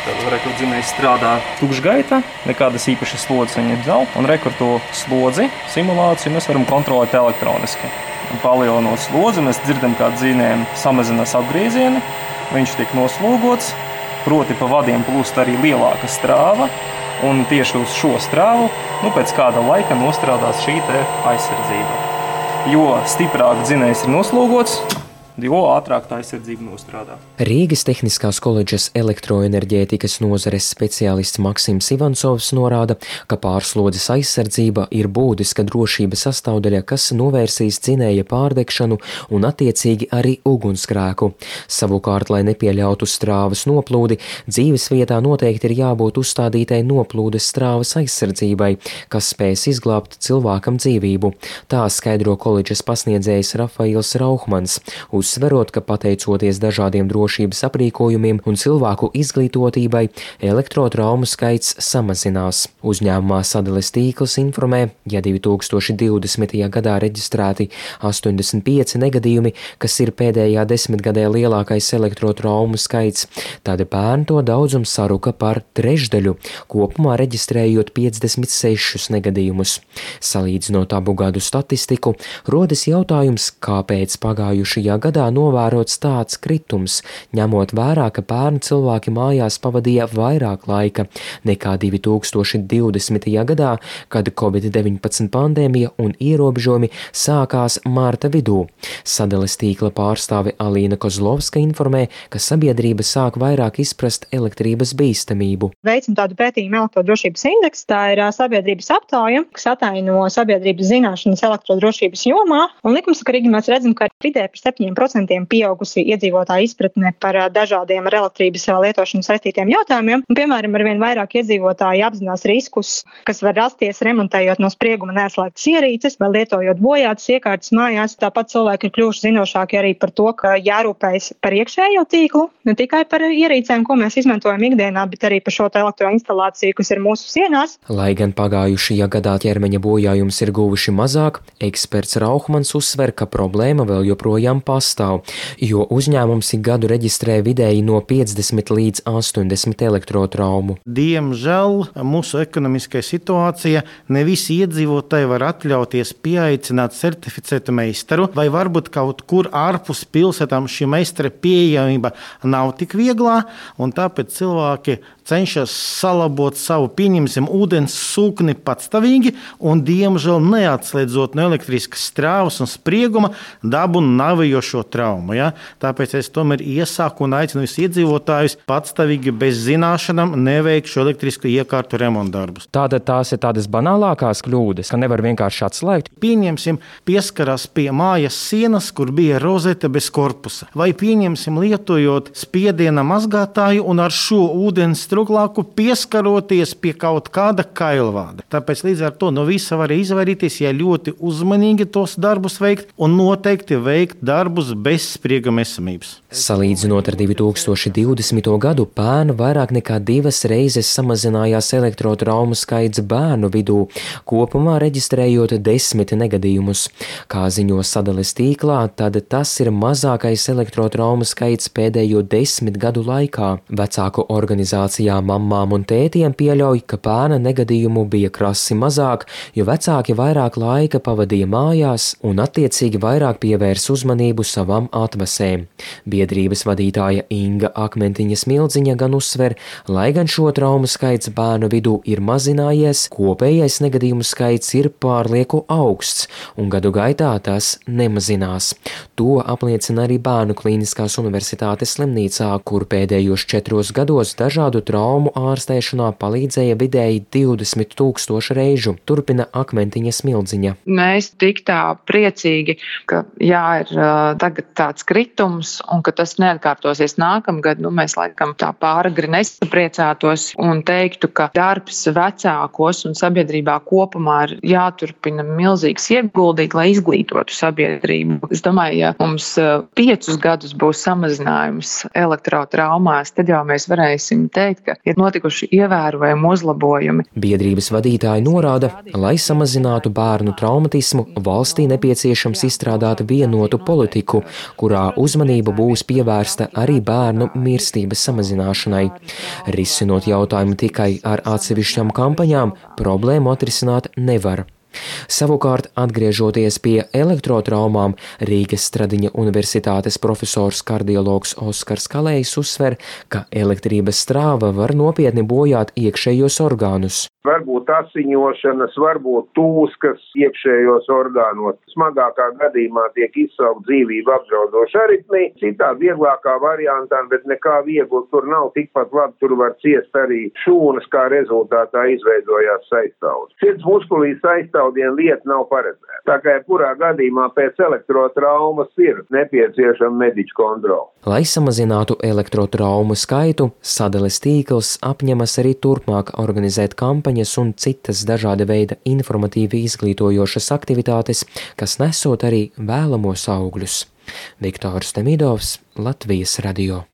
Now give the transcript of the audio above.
Tad rekur dzinējs strādā tukšgaita, nekādas īpašas slodzes viņa dzel, un rekur to slodzi simulāciju mēs varam kontrolēt elektroniski. Palielinot slodzi, mēs dzirdam, kā dzinējiem samazinās apgriezieni, viņš tiek noslogots, proti pa vadiem plūst arī lielāka strāva, un tieši uz šo strāvu pēc kāda laika nostrādās šī aizsardzība. Jo stiprāk dzinējs ir noslogots, jo ātrāk tā aizsardzība nostrādā. Rīgas Tehniskās koledžas elektroenerģētikas nozares speciālists Maksims Ivancovs norāda, ka pārslodzes aizsardzība ir būtiska drošības sastāvdaļa, kas novērsīs dzinēja pārdegšanu un attiecīgi arī ugunsgrēku. Savukārt, lai nepieļautu strāvas noplūdi, dzīves vietā noteikti ir jābūt uzstādītai noplūdes strāvas aizsardzībai, kas spēs izglābt cilvēkam dzīvību. Tā skaidro koledžas pasniedzējs Rafails Rauhmans, uzsverot, ka pateicoties dažādiem drošības aprīkojumiem un cilvēku izglītotībai, elektrotraumu skaits samazinās. Uzņēmumā Sadales tīkls informē, ja 2020. gadā reģistrēti 85 negadījumi, kas ir pēdējā desmitgadē lielākais elektrotraumu skaits, tad bērnu to daudzums saruka par trešdaļu, kopumā reģistrējot 56 negadījumus. Salīdzinot abu gadu statistiku, rodas jautājums, kāpēc pagājušajā gadā novērots tāds kritums, ņemot vērā, ka bērnu cilvēki mājās pavadīja vairāk laika nekā 2020. gadā, kad Covid-19 pandēmija un ierobežojumi sākās marta vidū. Sadales tīkla pārstāve Alīna Kozlovska informē, ka sabiedrība sāk vairāk izprast elektrības bīstamību. Veicam tādu pētījumu elektrodrošības indeksu, tā ir sabiedrības aptauja, kas ataino sabiedrības zināšanas elektrodrošības jomā, un likumsakarīgi mēs redzam, ka vidē par 7% pieaugusi iedzīvotāju izpratne par dažādiem ar elektrības lietošanu saistītiem jautājumiem. Un, piemēram, arvien vairāk iedzīvotāji apzinās riskus, kas var rasties remontējot no sprieguma neatslēgtas ierīces vai lietojot bojātas iekārtas mājās. Tāpat cilvēki ir kļuvuši zinošāki arī par to, ka jārūpējas par iekšējo tīklu, ne tikai par ierīcēm, ko mēs izmantojam ikdienā, bet arī par šo elektroinstalāciju, kas ir mūsu sienās. Lai gan pagājušajā gadā ķermeņa bojājums ir guvuši mazāk, eksperts Rauhmans uzsver, ka problēma vēl joprojām pastāv, jo uzņēmums ik gadu reģistrē vidēji no 50 līdz 80 elektrotraumu. Diemžēl mūsu ekonomiskā situācija ne visi iedzīvotāji var atļauties pieaicināt certificētu meistaru, vai varbūt kaut kur ārpus pilsētām šī meistara pieejamība nav tik vieglā, un tāpēc cilvēki cenšas salabot savu, pieņemsim, ūdens sūkni patstāvīgi un, diemžēl, neatslēdzot no elektriskas strāvas un sprieguma dabu navējošo traumu. Ja? Tāpēc es tomēr iesaku un aicinu visus iedzīvotājus patstāvīgi bez zināšanām neveikt šo elektrisku iekārtu remontdarbus. Tātad tās ir tādas banālākās kļūdas, ka nevar vienkārši atslēgt. Pieņemsim, pieskarās pie mājas sienas, kur bija rozete bez korpusa. Vai pieņemsim, lietojot spiediena mazgātāju un ar šo ūdens struklāku pieskaroties pie kaut kāda kailvāda. Tāpēc līdz ar to no visa var izvairīties, ja ļoti uzmanīgi tos darbus veikt un noteikti veikt darbus bez sprieguma esamības. Salīdzinot ar 2020. gadu, pērn vairāk nekā 2 reizes samazinājās elektrotraumu skaits bērnu vidū, kopumā reģistrējot 10 negadījumus. Kā ziņo Sadales tīklā, tad tas ir mazākais elektrotraumu skaits pēdējo 10 gadu laikā. Vecāku organizācijā mammām un tētiem pieļauj, ka pērna negadījumu bija krasi mazāk, jo vecāki vairāk laika pavadīja mājās un attiecīgi vairāk pievērs uzmanību savām atvasēm. Biedrības vadītāja Inga Akmentiņa Smildziņa gan uzsver, lai gan šo traumu skaits bērnu vidū ir mazinājies, kopējais negadījumu skaits ir pārlieku augsts, un gadu gaitā tas nemazinās. To apliecina arī Bērnu Klīniskās universitātes slimnīcā, kur pēdējos 4 gados dažādu traumu ārstēšanā palīdzēja vidēji 20 000 reižu, turpina Akmentiņa Smildziņa. Mēs tik tā priecīgi, ka ir tagad tāds kritums un ka tas neatkārtosies nākamgad, mēs laikam tā pāragri nesapriecātos un teiktu, ka darbs vecākos un sabiedrībā kopumā ir jāturpina milzīgs ieguldīt, lai izglītotu sabiedrību. Es domāju, ja mums 5 gadus būs samazinājums elektrotraumās, tad jau mēs varēsim teikt, ka ir notikuši ievērojami uzlabojumi. Biedrības vadītāji norāda, lai samazinātu bērnu traumatismu, valstī nepieciešams izstrādāt vienotu politiku, kurā uzmanība būs būs pievērsta arī bērnu mirstības samazināšanai. Risinot jautājumu tikai ar atsevišķām kampaņām, problēmu atrisināt nevar. Savukārt, atgriežoties pie elektrotraumām, Rīgas Stradiņa universitātes profesors kardiologs Oskars Kalējs uzsver, ka elektrības strāva var nopietni bojāt iekšējos orgānus. Varbūt asiņošanas, varbūt tūskas iekšējos orgānos. Smagākā gadījumā tiek izsaukt dzīvību apdraudoša aritmija, citā vieglākā variantā, bet nekā viegli tur nav, tikpat labi tur var ciest arī šūnas, kā rezultātā izveidojās saistaudas. Sirds muskulī saistaudien lieta nav paredzēta. Tā kā kurā gadījumā pēc elektrotraumas ir nepieciešama mediķu kontrole. Lai samazinātu elektrotraumu skaitu, sadales tīkls apņemas arī turpmāk organizēt kampaņas un citas dažāda veida informatīvi izglītojošas aktivitātes, kas nesot arī vēlamos augļus. Viktors Demidovs, Latvijas radio.